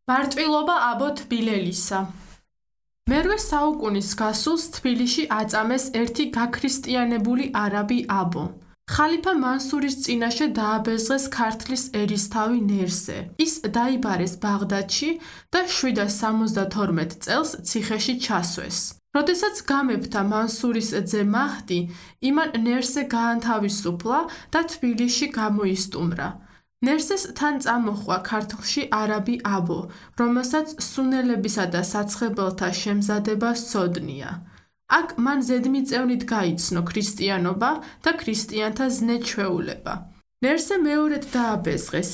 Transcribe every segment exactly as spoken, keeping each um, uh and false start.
მარტვილობა აბო თბილელისა. მერვე საუკუნის გასულს თბილისში აწამეს ერთი გაქრისტიანებული არაბი აბო. ხალიფა მანსურის წინაშე დააბეზღეს ქართლის ერისთავი ნერსე. ის დაიბარეს ბაღდადში და შვიდას სამოცდათორმეტ წელს ციხეში ჩასვეს. როდესაც გამეფდა მანსურის ძე მაჰდი, იმან ნერსე გაანთავისუფლა და თბილისში გამოისტუმრა. ნერსეს თან წამოჰყვა ქართლში არაბი აბო, რომელსაც სუნელებისა და საცხებელთა შემზადება სცოდნია. აქ მან ზედმიწევნით გაიცნო ქრისტიანობა და ქრისტიანთა ზნე-ჩვეულება. ნერსე მეორედ დააბეზღეს.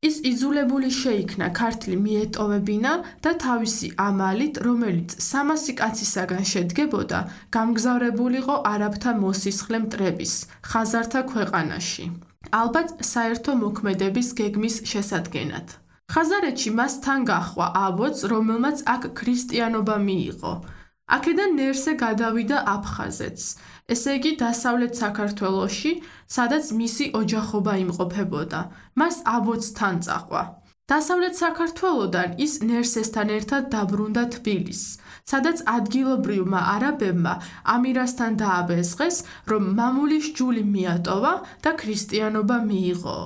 ის იძულებული შეიქნა ქართლი მიეტოვებინა და თავისი ამალით, რომელიც სამასი კაცისაგან შედგებოდა, გამგზავრებულიყო არაბთა მოსისხლე მტრების, ხაზართა ქვეყანაში. ალბათ საერთო მოქმედების გეგმის შესადგენად. ხაზარეთში მას თან გაჰყვა აბოც, რომელმაც აქ ქრისტიანობა მიიღო. აქედან ნერსე გადავიდა აფხაზეთს, ესე იგი დასავლეთ საქართველოში, სადაც მისი ოჯახობა იმყოფებოდა. მას აბოც თან წაჰყვა. დასავლეთ საქართველოდან ის ნერსესთან ერთად დაბრუნდა თბილისს, სადაც ადგილობრივმა არაბებმა ამირასთან დააბეზღეს, რომ მამულის ჯული მიატოვა და ქრისტიანობა მიიღო.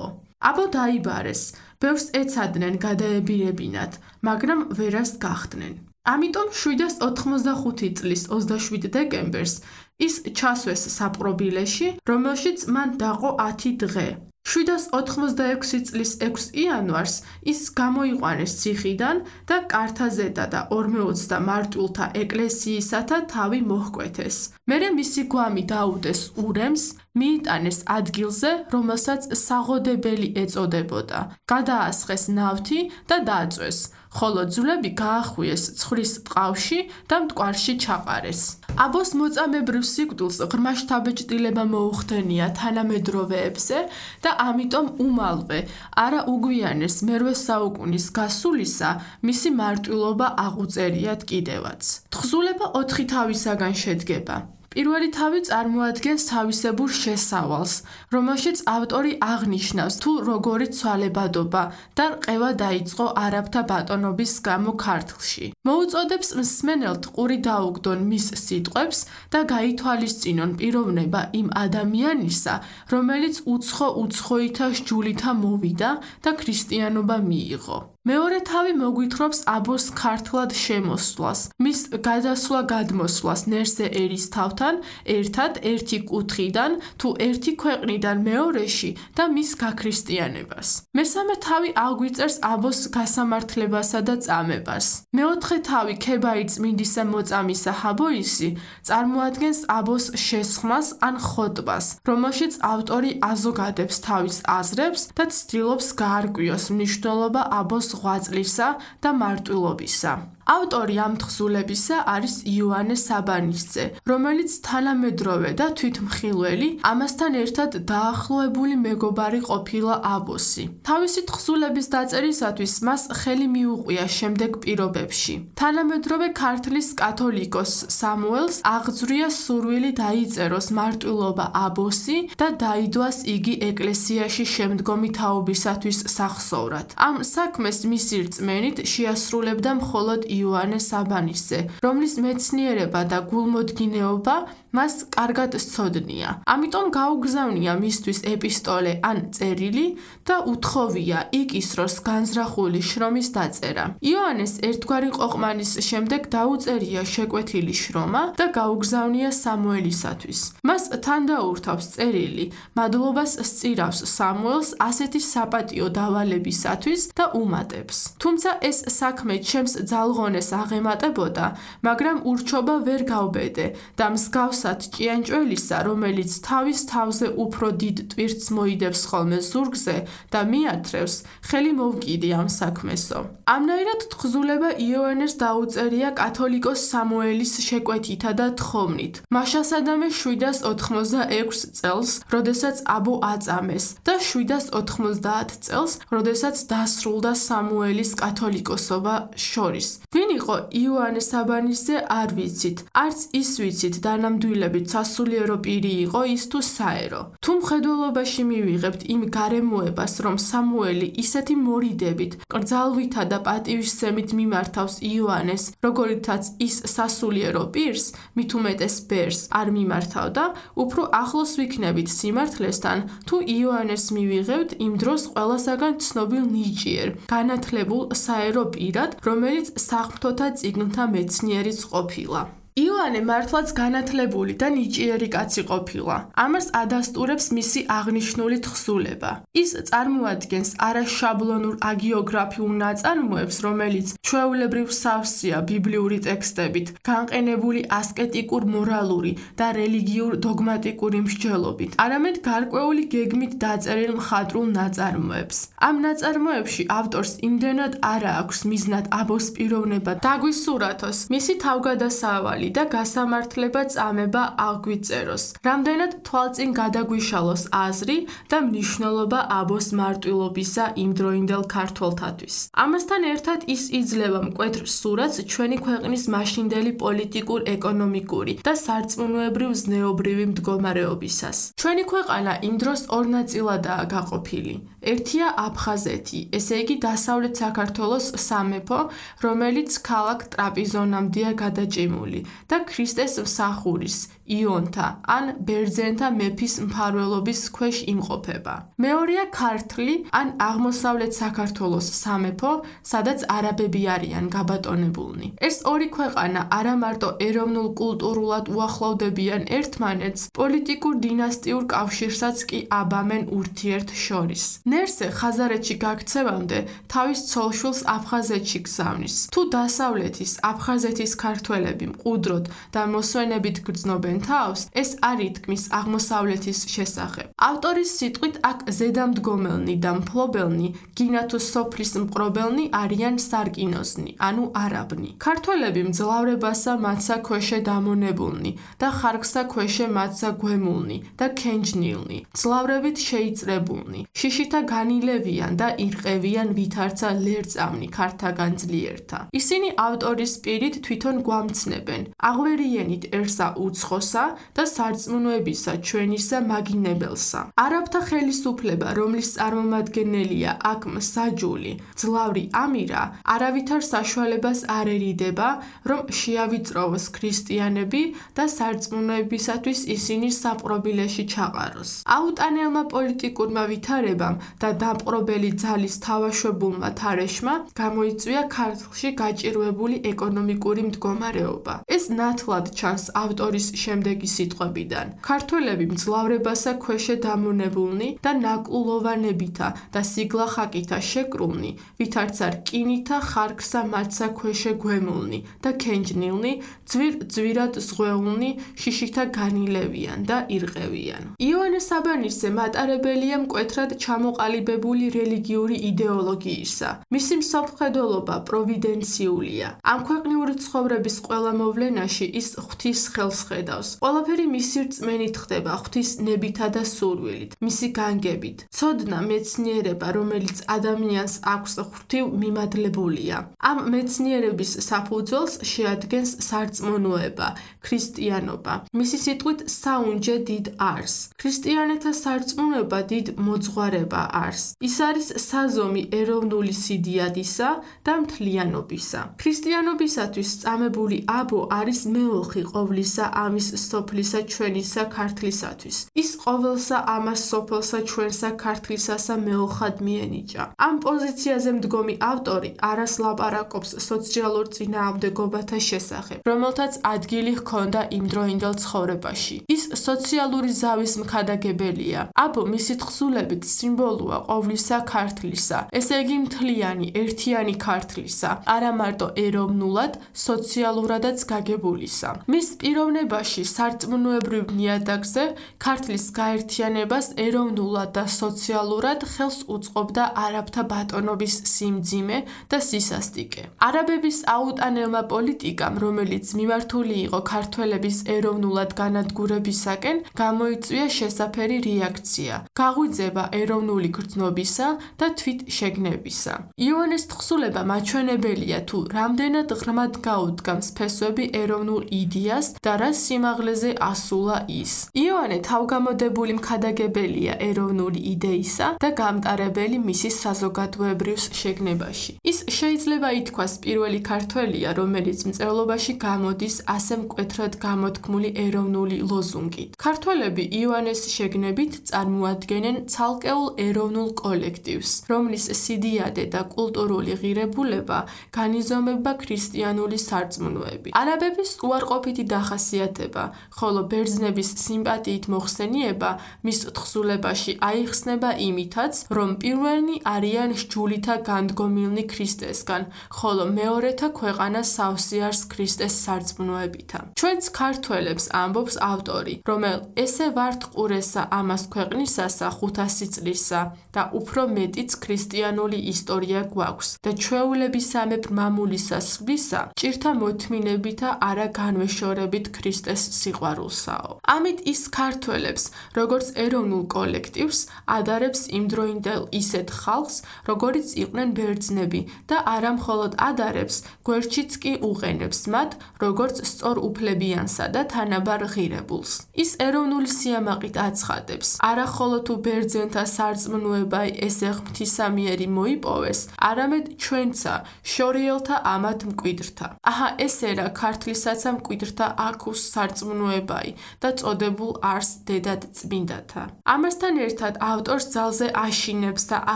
აბო დაიბარეს, ბევრს ეცადნენ გადაებირებინათ, მაგრამ ვერასდ გახდნენ. ამიტომ შვიდას ოთხმოცდახუთი წლის ოცდაშვიდ დეკემბერს ის ჩასვეს საპყრობილეში, რომელშიც მან დაყო ათი დღე. შვიდას ოთხმოცდაექვსი წლის ექვს იანვარს ის გამოიყვანეს ციხიდან და კართაზედა და ორმეოცდა მარტვილთა ეკლესიისათა თავი მოჰკვეთეს. მერე მისი გვამი დაუდეს ურემს, მიიტანეს ადგილზე, რომელსაც საღოდებელი ეწოდებოდა. გადაასხეს ნავთი და დაწვეს, ხოლო ძვლები გაახვიეს ცხვრის ტყავში და მტკვარში ჩაყარეს. აბოს მოწამებრივ სიკვდილს ღრმა შთაბეჭდილება მოუხდენია თანამედროვეებზე და ამიტომ უმალვე არა უგვიანეს მერვე საუკუნის გასულისა მისი მარტვილობა აღუწერიათ კიდევაც. თხზულება ოთხი თავისაგან შედგება. პირველი თავი წარმოადგენს თავისებურ შესავალს, რომელშიც ავტორი აღნიშნავს თუ როგორი ცვალებადობა და რყევა დაიწყო არაბთა ბატონობის გამო ქართლში. მოუწოდებს მსმენელთ ყური დაუგდონ მის სიტყვებს და გაითვალისწინონ პიროვნება იმ ადამიანისა, რომელიც უცხო-უცხოითა სჯულითა მოვიდა და ქრისტიანობა მიიღო. მეორე თავი მოგვითხრობს აბოს ქართლად შემოსვლას, მის გადასვლა-გადმოსვლას ნერსე ერისთავთან ერთად ერთი კუთხიდან თუ ერთი ქვეყნიდან მეორეში და მის გაქრისტიანებას. მესამე თავი აგვიწერს აბოს გასამართლებასა და წამებას. მეოთხე თავი ქებაი წმინდისა მოწამისა ჰაბოისი წარმოადგენს აბოს შესხმას ან ხოტბას, რომელშიც ავტორი აზოგადებს თავის აზრებს და ცდილობს გაარკვიოს მნიშვნელობა აბოს ღვაწლისა და მარტვილობისა. ავტორი ამ თხზულებისა არის იოანე საბანისძე, რომელიც თანამედროვე და თვითმხილველი, ამასთან ერთად დაახლოებული მეგობარი ყოფილა აბოსი. თავისი თხზულების დაწერისათვის მას ხელი მიუყვია შემდეგ პირობებში. თანამედროვე ქართლის კათოლიკოს სამუელს აღძვრია სურვილი დაიწეროს მარტვილობა აბოსი და დაიდვას იგი ეკლესიაში შემდგომი თაობისათვის სახსოვრად. ამ საქმეს მისი რწმენით შეასრულებდა მხოლოდ იოანე საბანისძე, რომლის მეცნიერება და გულმოდგინეობა მას კარგად სცოდნია. ამიტომ გაუგზავნია მისთვის ეპისტოლე ან წერილი და უთხოვია იკისროს განზრახული შრომის დაწერა. იოანეს ერთგვარი ყოყმანის შემდეგ დაუწერია შეკვეთილი შრომა და გაუგზავნია სამუელისათვის. მას თან დაურთავს წერილი, მადლობას სწირავს სამუელს ასეთი საპატიო დავალებისათვის და უმატებს. თუმცა ეს საქმე ჩემს ძალღონეს აღემატებოდა, მაგრამ ურჩობა ვერ გავბედე და მსგავსად ჭიანჭველისა, რომელიც თავის თავზე უფრო დიდ ტვირთს მოიდებს ხოლმე ზურგზე და მიათრევს, ხელი მოვკიდე ამ საქმესო. ამნაირად თხზულება იოანეს დაუწერია კათოლიკოს სამუელის შეკვეთითა და თხოვნით. მაშასადამე შვიდას ოთხმოცდაექვს წელს, როდესაც აბო აწამეს და შვიდას ოთხმოცდაათ წელს, როდესაც დასრულდა სამუელის კათოლიკოსობა შორის. ვინ იყო იოანე საბანისძე არ ვიცით, არც ის ვიცით დანამდვილ სიკვდილებით სასულიერო პირი იყო ის თუ საერო. თუ მხედველობაში მივიღებთ იმ გარემოებას, რომ სამუელი ისეთი მორიდებით, კრძალვითა და პატივისცემით მიმართავს იოანეს, როგორითაც ის სასულიერო პირს, მით უმეტეს ბერს არ მიმართავდა, უფრო ახლოს ვიქნებით სიმართლესთან, თუ იოანეს მივიღებთ იმ დროს ყველასაგან ცნობილ ნიჭიერ, განათლებულ საერო პირად, რომელიც საღვთოთა წიგნთა მეცნიერიც ყოფილა. იოანე მართლაც განათლებული და ნიჭიერი კაცი ყოფილა. ამას ადასტურებს მისი აღნიშნული თხზულება. ის წარმოადგენს არაშაბლონურ აგიოგრაფიულ ნაწარმოებს, რომელიც ჩვეულებრივ სავსეა ბიბლიური ტექსტებით, განყენებული ასკეტიკურ მორალური და რელიგიურ დოგმატიკური მსჯელობით, არამედ გარკვეული გეგმით დაწერილ მხატვრულ ნაწარმოებს. ამ ნაწარმოებში ავტორს იმდენად არა აქვს მიზნად აბოს პიროვნება დაგვისურათოს, მისი თავგადასავალი და გასამართლება წამება აღვიწეროს, რამდენად თვალწინ გადაგვიშალოს აზრი და მნიშვნელობა აბოს მარტვილობისა იმდროინდელ ქართველთათვის. ამასთან ერთად ის იძლევა მკვეთრ სურათს ჩვენი ქვეყნის მაშინდელი პოლიტიკურ, ეკონომიკური და სარწმუნოებრივ ზნეობრივი მდგომარეობისას. ჩვენი ქვეყანა იმ დროს ორ ნაწილადაა გაყოფილი. ერთია აფხაზეთი, ესე იგი დასავლეთ საქართველოს სამეფო, რომელიც ქალაქ ტრაპიზონამდეა გადაჭიმული და ქრისტეს მსახურის, იონთა ან ბერძენთა მეფის მფარველობის ქვეშ იმყოფება. მეორეა ქართლი ან აღმოსავლეთ საქართველოს სამეფო, სადაც არაბები არიან გაბატონებულნი. ეს ორი ქვეყანა არა მარტო ეროვნულ კულტურულად უახლოვდებიან ერთმანეთს, პოლიტიკურ დინასტიურ კავშირსაც კი აბამენ ურთიერთ შორის. ნერსე ხაზარეთში გაქცევამდე თავის ცოლ-შვილს აფხაზეთში გზავნის. თუ დასავლეთის აფხაზეთის ქართველები მყუდროდ და მოსვენებით გრძნობენ თავს, ეს არ ითქმის აღმოსავლეთის შესახებ. ავტორის სიტყვით აქ ზედამდგომელნი და მფლობელნი, გინა თუ სოფლის მპყრობელნი არიან სარკინოზნი, ანუ არაბნი. ქართველები მძლავრებასა მათსა ქვეშე დამონებულნი და ხარკსა ქვეშე მათსა გვემულნი და ქენჯნილნი, მძლავრებით შეიწრებულნი, შიშითა განილევიან და ირყევიან ვითარცა ლერწამნი ქართაგან ძლიერთა. ისინი ავტორის პირით თვითონ გვამცნებენ, აღვერიენითერსა უცხოსა და სარწმუნოებისა ჩვენისა მაგინებელსა. არაბთა ხელისუფლება, რომლის წარმომადგენელია აქ მსაჯული, ძლავრი ამირა, არავითარ საშუალებას არ ერიდება, რომ შეავიწროვოს ქრისტიანები და სარწმუნოებისათვის ისინი საპყრობილეში ჩაყაროს. აუტანელმა პოლიტიკურმა ვითარებამ და დამპყრობელი ძალის თავაშვებულმა თარეშმა გამოიწვია ქართლში გაჭირვებული ეკონომიკური მდგომარეობა. ეს ნათლად ჩანს ავტორის შემდეგი სიტყვებიდან. ქართველები მძლავრებასა ქვეშე დამონებულნი და ნაკლულოვანებითა და სიგლახაკითა შეკრულნი, ვითარცა რკინითა ხარკსა მათსა ქვეშე გვემულნი და ქენჯნილნი, ძვირ-ძვირად ზღვეულნი, შიშითა განილევიან და ირყევიან. იოანე საბანისზე მატარებელია მკვეთრად ჩამოყალიბებული რელიგიური იდეოლოგიისა. მისი მსოფლმხედველობა პროვიდენციულია. ამ ქვეყნიური ცხოვრების ყველა მოვლენაში ის ღვთის ხელს ხედავს. ყველაფერი მისი რწმენით ხდება, ღვთის ნებითა და სურვილით, მისი განგებით. ცოდნა მეცნიერება, რომელიც ადამიანს აქვს ღვთივ მიმადლებულია. ამ მეცნიერების საფუძველს შეადგენს სარწმუნოება, ქრისტიანობა. მისი სიტყვით საუნჯე დიდ არს. ქრისტიანეთა სარწმუნოება დიდ მოძღვარება არს. ის არის საზომი ეროვნული სიდიადისა და მთლიანობისა. ქრისტიანობისათვის წამებული აბო არის მეოხი ყოვლისა ამის სოფლისა ჩვენისა ქართლისათვის. ის ყოველსა ამას სოფელსა ჩვენსა ქართლისასა მეოხად მიენიჭა. ამ პოზიციაზე მდგომი ავტორი არას ლაპარაკობს სოციალურ წინააღმდეგობათა შესახებ, რომელთაც ადგილი ჰქონდა იმდროინდელ ცხოვრებაში. ის სოციალური ზავის მქადაგებელია. აბო მისი თხზულებით სიმბოლოა ყოვლისა ქართლისა, ესე იგი მთლიანი, ერთიანი ქართლისა, არა მარტო ეროვნულად, სოციალურადაც გაგებულისა. მის პიროვნებაში სარწმუნოებრივ ნიადაგზე ქართლის გაერთიანებას ეროვნულად და სოციალურად ხელს უწყობდა არაბთა ბატონობის სიმძიმე და სისასტიკე. არაბების აუტანელმა პოლიტიკამ, რომელიც მიმართული იყო ქართველების ეროვნულად განადგურებისაკენ, გამოიწვია შესაფერი რეაქცია, გაღვიძება ეროვნული გრძნობისა და თვით შეგნებისა. იოანეს თხზულება მაჩვენებელია თუ რამდენად ღრმად გაუდგამს ფესვები ეროვნულ იდეას და რა სიმაღლეზე ასულა ის. იოანე თავგამოდებული მქადაგებელია ეროვნული იდეისა და გამტარებელი მისი საზოგადოებრივ შეგნებაში. ის შეიძლება ითქვას პირველი ქართველია, რომელიც მწერლობაში გამოდის ასე მკვეთრად გამოთქმული ეროვნული ლოზუნგით. ქართველები იოანეს შეგნებით წარმოადგენენ ცალკეულ ეროვნულ კოლექტივს, რომლის სიდიადე და კულტურული ღირებულება განიზომება ქრისტიანული სარწმუნოებით. არაბების უარყოფითი დახასიათება, ხოლო ბერძნების სიმპათიით მოხსენიება მის თხზულებაში აიხსნება იმითაც, რომ პირველნი არიან სჯულითა განდგომილნი ქრისტესგან, ხოლო მეორეთა ქვეყანა სავსე არს ქრისტეს სარწმუნოებითა. ჩვენც ქართველებს ამბობს ავტორი, რომელ ესე ვართ ყურესა ამას ქვეყნისასა ხუთასი წლისა და უფრო მეტიც ქრისტიანული ისტორია გვაქვს და ჩვეულებისამებრ მამულისა სხვისა ჭირთა მოთმინებითა არა განვეშორებით ქრისტეს სიყვარულსაო. ამით ის ქართველებს, როგორც ეროვნულ კოლექტივს, ადარებს იმდროინდელ ისეთ ხალხს, როგორიც იყვნენ ბერძნები და არა მხოლოდ ადარებს, გვერდშიც კი უყენებს მათ, როგორც სწორ უფლებიანსა და თანაბარ ღირებულს. ის ეროვნული სიამაყით აცხადებს, არა ხოლო თუ ბერძენთა სარწმუნოება ესე ღვთისამიერი მოიპოვეს, არამედ ჩვენცა შორიელთა ამათ მკვიდრთა. აჰა ესე რა ქართლისაცა მკვიდრთა აქუს სარწმუნოებაი და წოდებულ არს დედად წმინდათა. ამასთან ერთად ავტორს ძალზე აშინებს და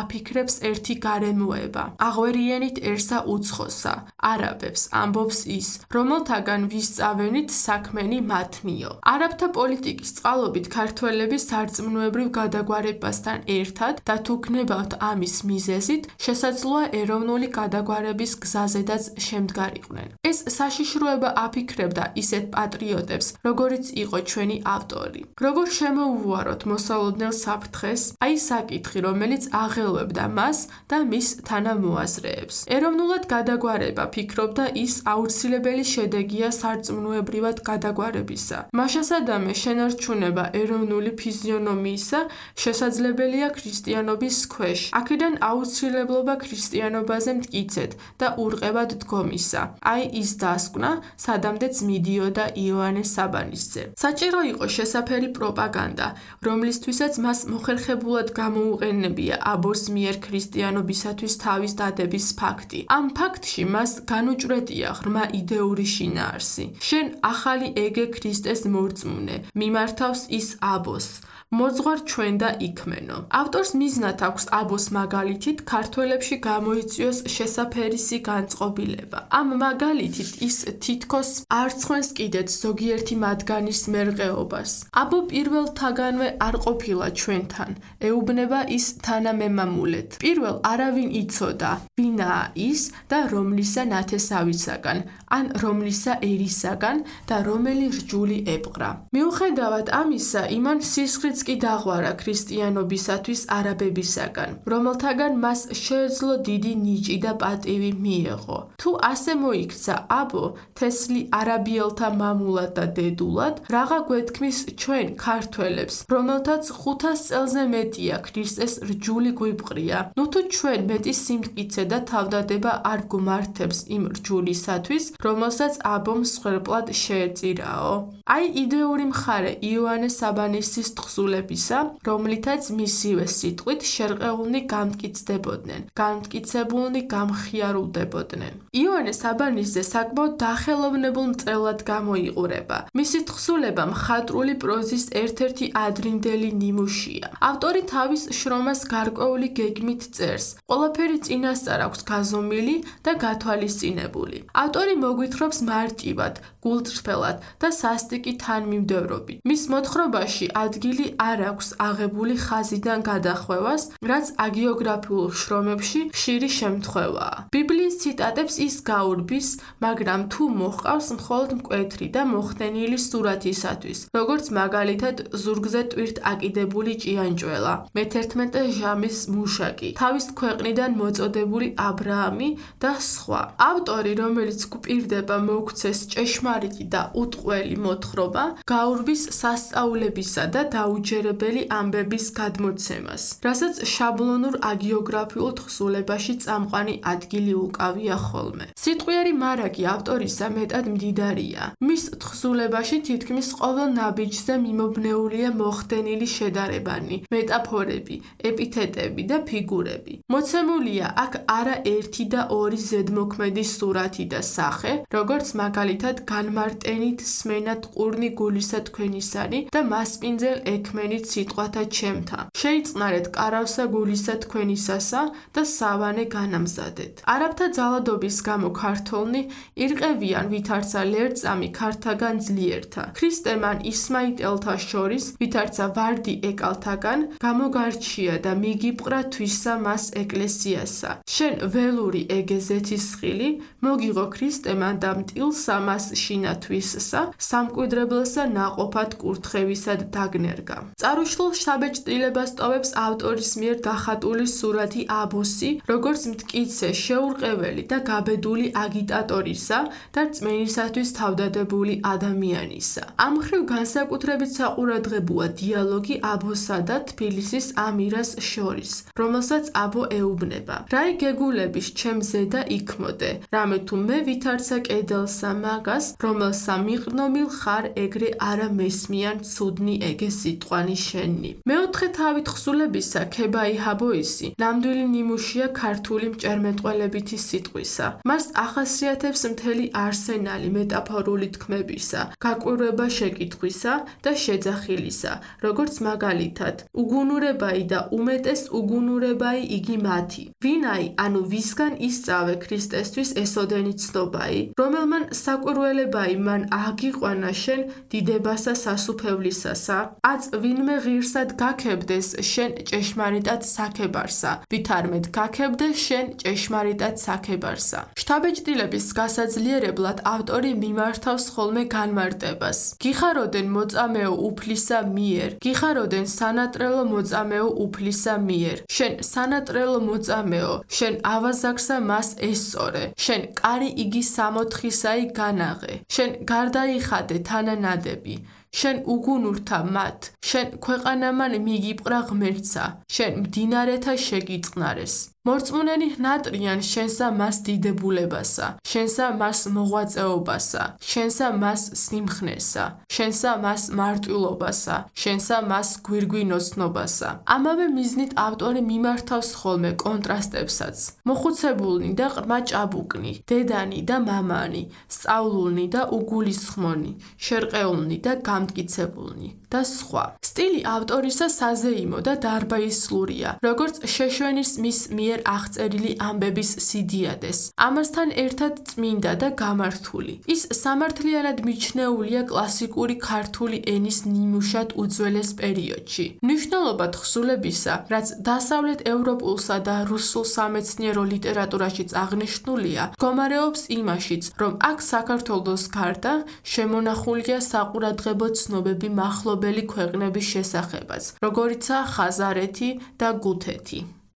აფიქრებს ერთი გარემოება. აღვერიენითერსა უცხოსა, არაბებს ამბობს ის, რომელთაგან ვისწავენით საქმენი მათნიო. არაბთა პოლიტიკის წყალობით ქართველები სარწმუნოებრივ გადაგვარებასთან ერთად და თუ გნებავთ ამის მიზეზით, შესაძლოა ეროვნული გადაგვარების გზაზედაც შემდგარიყვნენ. ეს საშიშროება აფიქრებდა ისეთ პატრიოტებს, როგორიც იყო ჩვენი ავტორი. როგორ შემოუვაროთ მოსალოდნელ საფრთხეს, აი საკითხი, რომელიც აღელვებდა მას და მის თანამოაზრეებს. ეროვნულად გადაგვარება, ფიქრობდა ის, აუცილებელი შედეგია სარწმუნოებრივად გადაგვარებისა. მაშასადამე შენარჩუნება ეროვნული ფიზიონომიისა შესაძლებელია ქრისტიანობის ქვეშ. აქედან აუცილებლობა ქრისტიანობაზე მტკიცედ და ურყევად დგომისა. აი ის დასკვნა, სადამდეც მიდიოდა იოანე საბანისძე. საჭირო იყო შესაფერი პროპაგანდა, რომლისთვისაც მას მოხერხებულად გამოუყენებია აბოს მიერ ქრისტიანობისათვის თავის დადების ფაქტი. ამ ფაქტში მას განუჭვრეტია ღრმა იდეური შინაარსი. შენ ახალი ეგე ქრისტეს მორწმუნე, მიმართავს ის აბოს. მოძღვარ ჩვენ და იქმენო. ავტორს მიზნად აქვს აბოს მაგალითით ქართველებში გამოიწვიოს შესაფერისი განწყობილება. ამ მაგალითით ის თითქოს არცხვენს კიდეც ზოგიერთი მათგანის მერყეობას. აბო პირველთაგანვე არ ყოფილა ჩვენთან, ეუბნება ის თანამემამულეთ. პირველ არავინ იცოდა, ვინაა ის და რომლისა ნათესავისაგან, ან რომლისა ერისაგან და რომელი რჯული ეპყრა. მიუხედავად ამისა, იმან სისხლიც კი დაღვარა ქრისტიანობისათვის არაბებისაგან, რომელთაგან მას შეეძლო დიდი ნიჭი და პატივი მიეღო. თუ ასე მოიქცა აბო თესლი არაბიელთა მამულად და დედულად, რაღა გვეთქმის ჩვენ ქართველებს, რომელთაც ხუთას წელზე მეტია ქრისტეს რჯული გვიბყრია. ნუ თუ ჩვენ მეტი სიმტკიცე და თავდადება არ გვმართებს იმ რჯულისათვის, რომელსაც აბომ მსხვერპლად შეეწირაო. აი იდეური მხარე იოანე საბანისძის თხზულებისა, რომლითაც მისივე სიტყვით შერყეულნი გამტკიცდებოდნენ, გამტკიცებულნი გამხიარულდებოდნენ. იოანე საბანისძე საკმაოდ დახელოვნებულ მწერლად გამოიყურება. მისი თხზულება მხატვრული პროზის ერთ-ერთი ადრინდელი ნიმუშია. ავტორი თავის შრომას გარკვეული გეგმით წერს. ყველაფერი წინასწარ აქვს გაზომილი და გათვალისწინებული. ავტორი მოგვითხრობს მარტივად, გულწრფელად და სასტიკი თანმიმდევრობით. მის მოთხრობაში ადგილი არ აქვს აღებული ხაზიდან გადახვევას, რაც აგიოგრაფიულ შრომებში ხშირი შემთხვევაა. ბიბლიის ციტატებს ის გაურბის, მაგრამ თუ მოჰყავს მხოლოდ მკვეთრი და მოხდენილი სურათისათვის, როგორც მაგალითად ზურგზე ტვირთ აკიდებული ჭიანჭველა, მეთერთმეტე ჟამის მუშაკი, თავის ქვეყნიდან მოწოდებული აბრაამი და სხვა. ავტორი, რომელიც გვპირდება მოგვცეს ჭეშმარიტი და უტყველი მოთხრობა, გაურბის სასწაულებისა და დაუჯერებელი ამბების გადმოცემას, რასაც შაბლონურ აგიოგრაფიულ თხზულებაში წამყვანი ადგილი უკავია ხოლმე. სიტყვიერი მარაგი ავტორისა მეტ მეტად მდიდარია. მის თხზულებაში თითქმის ყოველ ნაბიჯზე მიმობნეულია მოხდენილი შედარებანი, მეტაფორები, ეპითეტები და ფიგურები. მოცემულია აქ არა ერთი და ორი ზედმოქმედის სურათი და სახე, როგორც მაგალითად განმარტენით სმენად ყურნი გულისა თქვენისანი და მასპინძელ ექმენით სიტყვათა ჩემთა. შეიწყნარეთ კარავსა გულისა თქვენისასა და სავანე განამზადეთ. არაბთა ძალადობის გამო ქართველნი ირყევიან ვითარცა ლერწამი ქართაგან ძლიერთა. ქრისტემან ისმაიტელთა შორის ვითარცა ვარდი ეკალთაგან გამოგარჩია და მიგიპყრა თვისა მას ეკლესიასა. შენ ველური ეგეზეთის ხილი მოგიღო ქრისტემან და მტილსა მას შინათვისსა სამკვიდრებლსა ნაყოფად კურთხევისად დაგნერგა. წარუშლულ შთაბეჭდილებას ტოვებს ავტორის მიერ დახატული სურათი აბოსი, როგორც მტკიცე, შეურყეველი და გაბედული აგიტატორისა და რწმენისათვის თავდადებული ადამიანისა. ამ მხრივ განსაკუთრებით საყურადღებოა დიალოგი აბოსა და თბილისის ამირას შორის, რომელსაც აბო ეუბნება. რაი გეგულების ჩემზე და იქმოდე, რამე თუ მე ვითარცა კედელსა მაგას, რომელსა მიყრდნობილ ხარ ეგრე არა მესმიან ცუდნი ეგე სიტყვანი შენი. მეოთხე თავი თხზულებისა ქებაი ჰაბოისი ნამდვილი ნიმუშია ქართული მჭერმეტყველებითი სიტყვისა. მას ახასიათებს მთელი არსენალი მეტაფორული თქმებისა, გაკვირვება შეკითხვისა და შეძახილისა, როგორც მაგალითად უგუნურებაი და უმეტეს უგუნურებაი იგი მათი. ვინაი, ანუ ვისგან ისწავე ქრისტესთვის ესოდენი ცნობაი, რომელმან საკვირველებაი მან აღგიყვანა შენ დიდებასა სასუფევლისასა, აც ვინმე ღირსად გაქებდეს შენ ჭეშმარიტად საქებარსა, ვითარმედ გაქებდეს შენ ჭეშმარიტად საქებარსა. შთაბეჭდილების გასაძლიერებლად ავტორი მიმართავს ხოლმე განმარტებას. გიხაროდენ მოწამეო უფლისა მიერ, გიხაროდენ სანატრელო მოწამეო უფლისა მიერ. შენ სანატრელო მოწამეო, შენ ავაზაგსა მას ესწორე, შენ კარი იგი სამოთხისაი განაღე, შენ გარდაიხადე თანანადები, შენ უგუნურთა მათ, შენ ქვეყანამან მიგიპყრა ღმერთსა, შენ მდინარეთა შეგიწყნარეს. მორწმუნენი ნატრიან შენსა მას დიდებულებასა, შენსა მას მოღვაწეობასა, შენსა მას სიმხნესა, შენსა მას მარტვილობასა, შენსა მას გვირგვინოცნობასა. ამავე მიზნით ავტორი მიმართავს ხოლმე კონტრასტებსაც. მოხუცებულნი და ყრმა ჭაბუკნი, დედანი და მამანი, სწავლულნი და უგულისხმონი, შერყეულნი და გამტკიცებულნი და სხვა. სტილი ავტორისა საზეიმო და დარბაისლურია, როგორც შეშვენის მის მიერ აღწერილი ამბების სიდიადეს. ამასთან ერთად წმინდა და გამართული. ის სამართლიანად მიჩნეულია კლასიკური ქართული ენის ნიმუშად უძველეს პერიოდში. მნიშვნელობა თხზულებისა, რაც დასავლეთ ევროპულსა და რუსულ სამეცნიერო ლიტერატურაშიც აღნიშნულია, მდგომარეობს იმაშიც, რომ აქ საქართველოს გარდა შემონახულია საყურადღებო ცნობები მახლობელი ქვეყნების შესახებაც, როგორიცაა ხაზარეთი და გუთეთი.